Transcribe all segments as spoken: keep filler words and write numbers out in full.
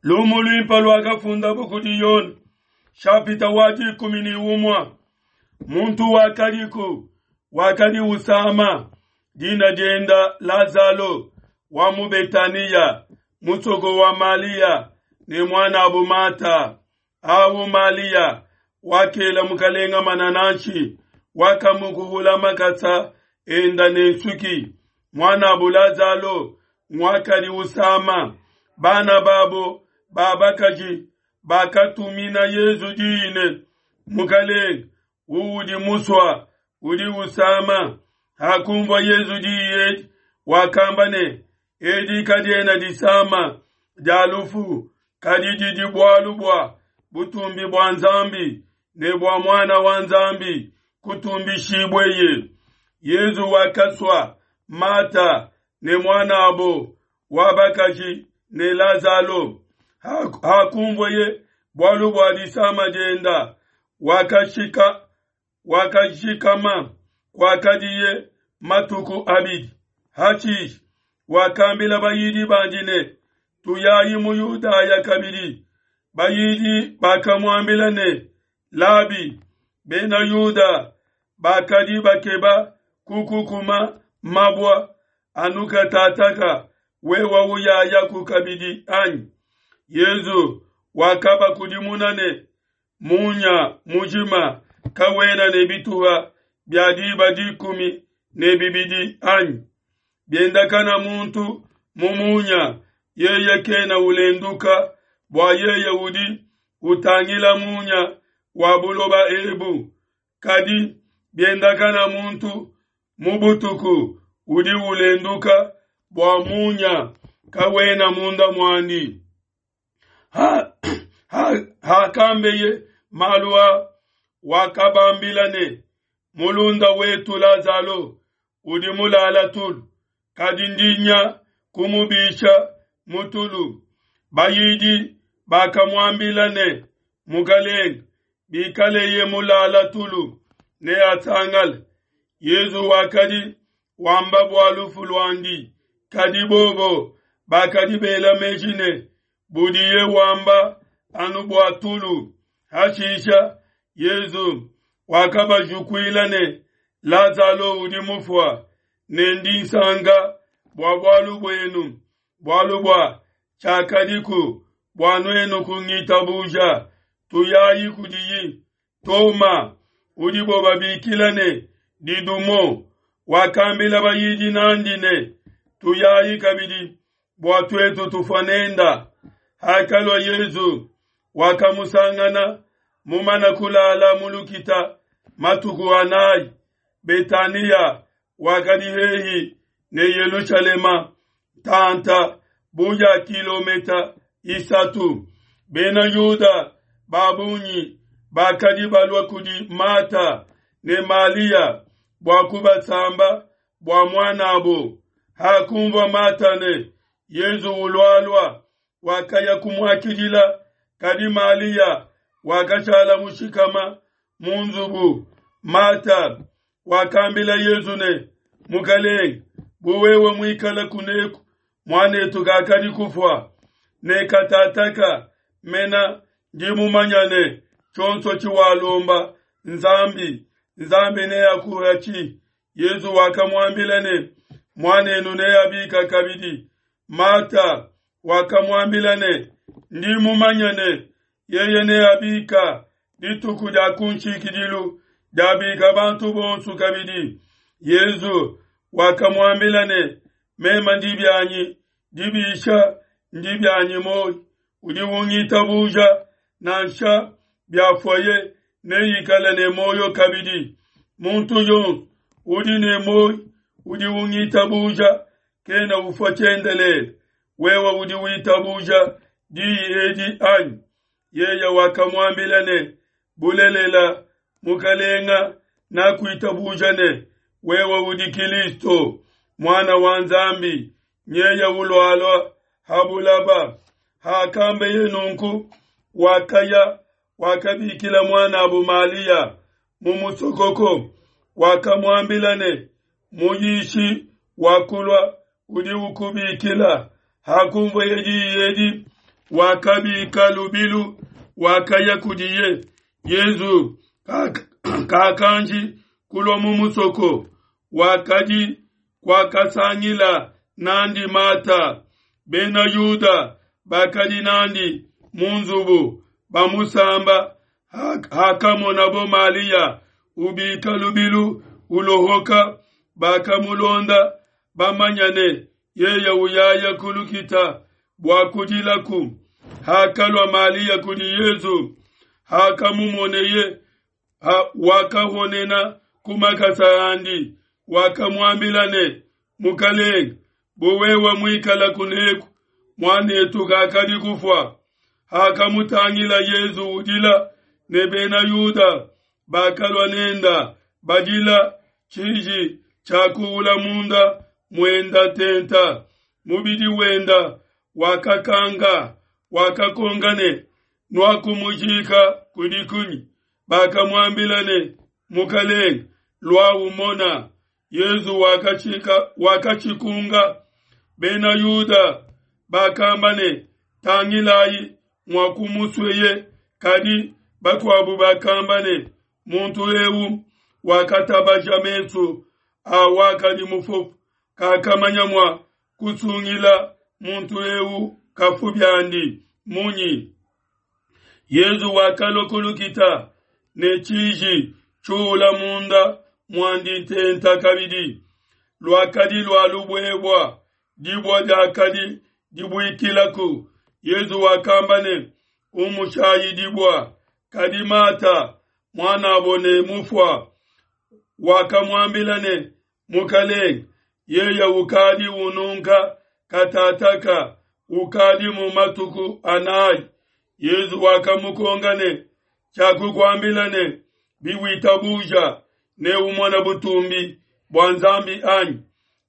Lumu luimpe luakafundabo kudi Yone, shapita wa dikumi ne umue. Muntu wakadiku wakadi usama, dina dienda Lazalo wa mu Betaniya, musoko wa Malia ne muanabu Mata. Awu Malia wakela mukalenga manananshi, wakamukuhula makasa enda ne nsuki. Muanabu Lazalo nguakadi usama. Bana babo ba bakaji bakatumina Yezu diyi ne, Mukalenge, uudi musua udi usama. Hakumvua Yezu diyi edi, wakamba ne, edi kadiena disama dia lufu, kadi didi bualu bua butumbi bua Nzambi ne bua Muana wa Nzambi kutumbishibueye. Yezu wakasua Mata ne muanabo wa bakaji ne Lazalo. Hakumvueye bualu bua disama dienda, wakashika wakashikama kwakadiye matuku abidi. Hashishe wakambila bayidi bandi ne, tuyayi mu Yudaya kabidi. Bayidi bakamuambila ne, Labi, bena Yuda bakadi bakeba kukukuma mabua anu katataka, wewa uyayaku kabidi anyi? Yezu wakabakudimuna ne, munya mujima kawena ne bituha bia diba dikumi ne bibidi anyi? Biendakana muntu mu munya, yeye kena ulenduka, bua yeye udi utangila munya wa buloba ebu. Kadi biendakana muntu mu butuku, udi ulenduka, bua munya kawena munda muandi. Ha, ha, hakambeye malu a, wakabambila ne, mulunda wetu Lazalo udi mulala tulu, kadi ndi nya kumubisha mu tulu. Bayidi bakamuambila ne, Mukalenge, bikaleye mulala tulu neasangale. Yezu wakadi wamba bua lufu luandi, kadi bobo bakadi bela meji ne, budiye wamba anu bua tulu. Hashisha Yezu wakabajukuila ne, Lazalo udi mufua, ne ndi nsanka bua bualu buenu, bualu bua tshiakadiku bua nuenu kungitabuja. Tuyayi kudiyi. Toma, udibo babikila ne Didumo, wakambila bayidi nandi ne, tuyayi kabidi bua tuetu tufua nenda. Hakalua Yezu, wakamusangana mumana kulala mu lukita matuku anayi. Betaniya wakadi hehi ne Yelushalema, tanta buya kilometa isatu. Bena Yuda babunyi bakadi balua kudi Mata ne Malia bua kubasamba bua muanabo. Hakumvua Mata ne Yezu ulualua, wakaya kumuakidila, kadi Malia wakashala mushikama mu nzubu. Mata wakambila Yezu ne, Mukalenge, bu wewe muikala kuneku, muanetu kakadi kufua. Ne katataka mena ndi mumanya ne tshionso tshiwalomba Nzambi, Nzambi neakuhatshi. Yezu wakamuambila ne, muanenu neabika kabidi. Mata wakamuambila ne, ndi mumanya ne yeye neabika dituku dia kunshikidilu, diabika bantu bonso kabidi. Yezu wakamuambila ne, mema ndi bianyi dibisha, ndi bianyi moyo. Udi ungitabuja, nansha biafuaye neikale ne moyo kabidi. Muntu yonso udi ne moyo udi ungitabuja kena ufua tshiendelele. Wewe udi witabuja diyi edi anyi? Yeye wakamuambila ne, bulelela Mukalenga, nakuitabuja ne wewe udi Kristo Muana wa Nzambi, nyeye ulualua ha bulaba. Hakambeye nunku, wakaya wakabikila muanabu Malia mu musokoko, wakamuambila ne, muyishi wakulua udi ukubikila. Hakumvueye diyi edi, Wakabika lubilu, wakaya kudiye. Yezu kakanji kulua mu musoko, wakadi kwakasangila nandi Mata. Bena Yuda bakadi nandi mu nzubu bamusamba. Hakamonabo Malia ubika lubilu ulohoka, bakamulonda bamanya ne yeye uyaya kulukita bua kudilaku. Hakalua Malia kudi Yezu, hakamumoneye ha, wakahonena ku makasa andi, wakamuambila ne, Mukalenge, bu wewe muikala kuneku, muanetu kakadi kufua. Hakamutangila Yezu udila, ne bena Yuda bakalua nenda badila, tshiji tshiakuula munda muenda tenta, mubidi wenda wakakanga, wakakonga ne, nuakumujika kudi kunyi? Bakamuambila ne, Mukalenge, lua umona. Yezu wakachika wakachikunga. Bena Yuda bakamba ne, tangilayi muakumusweye. Kadi bakuabu bakamba ne, muntu eu wakatabaja mesu a wakadi mufofu, kakamanya mua kusungila muntu eu kafu biandi munyi? Yezu wakalua kulukita ne tshiji tshiula munda muandi ntenta kabidi. Luakadi lua lubuebua, dibua diakadi dibuikilaku. Yezu wakamba ne, umushayi dibua. Kadi Mata, muanabo ne mufua, wakamuambila ne, Mukalenge, yeye ukadi ununka katataka, ukadi mu matuku anayi. Yezu wakamukonga ne, tshiakukuambila ne, biwitabuja ne umona butumbi bua Nzambi anyi?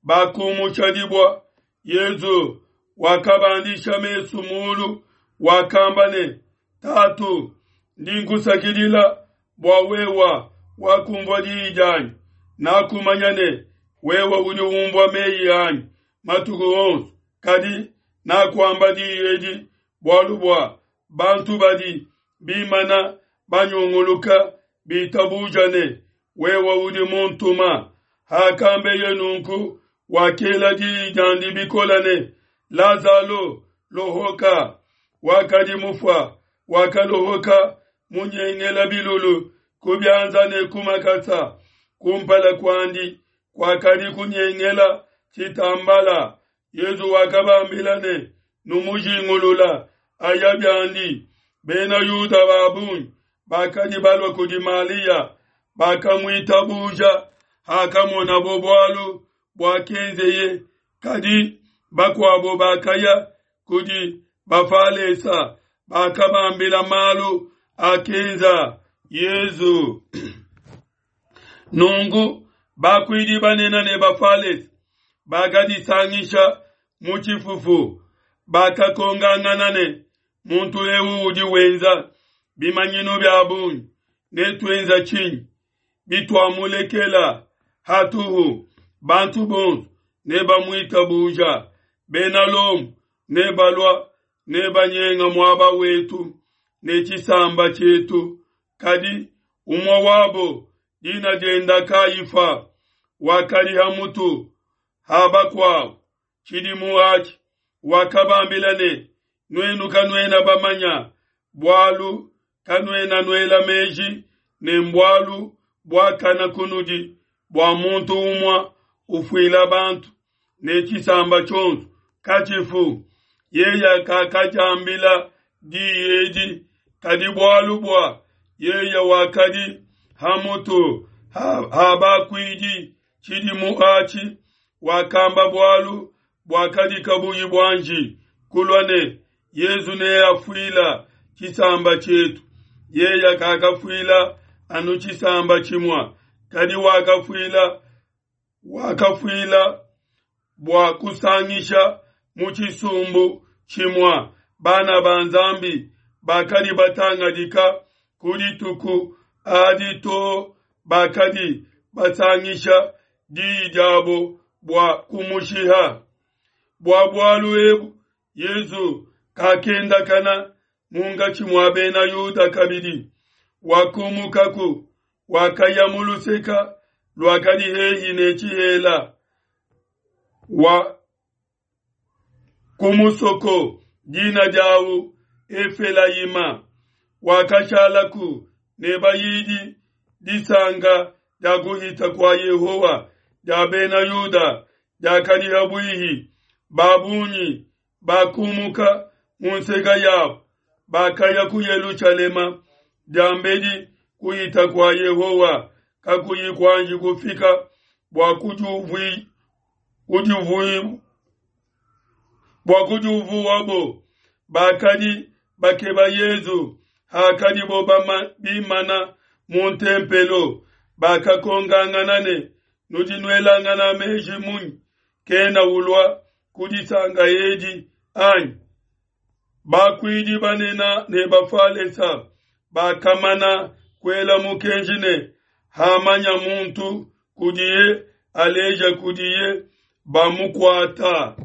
Bakumusha dibua. Yezu wakabandisha mesu mulu, wakamba ne, Tatu, ndi nkusakidila bua wewa wakumvua diyi dianyi. Nakumanya ne wewe udi umvua meyi anyi matuku onso, kadi nakuamba diyi edi bualu bua bantu badi bimana banyunguluka bitabuja ne wewe udi muntuma. Hakambeye nunku, wakela diyi diandi bikola ne, Lazalo, lohoka. Wakadi mufua, wakalohoka munyengela bilulu ku bianza ne ku makasa. Kumpala kuandi kwakadi kunyengela tshitambala. Yezu wakabambila ne, numujingulula aya biandi. Bena Yuda babungi bakadi balua kudi Malia, bakamuitabuja hakamonabo bualu buakenzeye. Kadi bakuabo bakaya kudi Bafalesa, bakabambila malu akenza Yezu. Nungu bakuidi banene ne Bafalesa bakadisangisha mu tshifufu, bakakongangana ne, muntu eu udi wenza bimanyinu bia bungi, netuenza tshinyi? Bituamulekela hatuhu, bantu bonso nebamuitabuja, bena Lomo nebalua nebanyenga muaba wetu ne tshisamba tshietu. Kadi umue wabo, dina dienda Kayifa, wakadi ha mutu ha bakuabo tshidimu atshi, wakabambila ne, nuenu kanuena bamanya bualu, kanuena nuela meji ne mbualu buakana kunudi bua muntu umue ufuila bantu ne tshisamba tshionso katshifu. Yeye kakadiambila diyi edi, kadi bualu bua yeye wakadi ha mutu ha bakuidi tshidimu atshi, wakamba bualu buakadi kabuyi buanji kulua ne, Yezu neafuila tshisamba tshietu. Yeye kakafuila anu tshisamba tshimue, kadi wakafuila wakafuila bua kusangisha mu tshisumbu tshimue bana ba Nzambi bakadi batangadika ku dituku adi to bakadi basangisha diyi diabo bua kumushiha. Bua bualu ebu Yezu Kakendakana munkatshi mua bena Yuda kabidi, wakumukaku, wakaya mu luseka luakadi hehi ne tshihela wa ku musoko dina diawu Efelayima, wakashalaku ne bayidi. Disanka dia kuhita kua Yehowa dia Bena Yuda diakadi ha buihi. Ba bungi bakumuka mu nseke yabo, bakaya ku Yelushalema diambedi kuhita kua Yehowa kakuyi kuanji kufika bua kudiuvuabo. Bakadi bakeba Yesu hakadibo bimana mu ntempelo, bakakonkangana ne, Nudi nuelangana meji munyi? Kena ulua ku disanka edi, anyi? Bakuidi banene ne Bafalesa bakamana kuela mukenji ne, Hamanya muntu kudiye, aleja kudiye, bamukuata.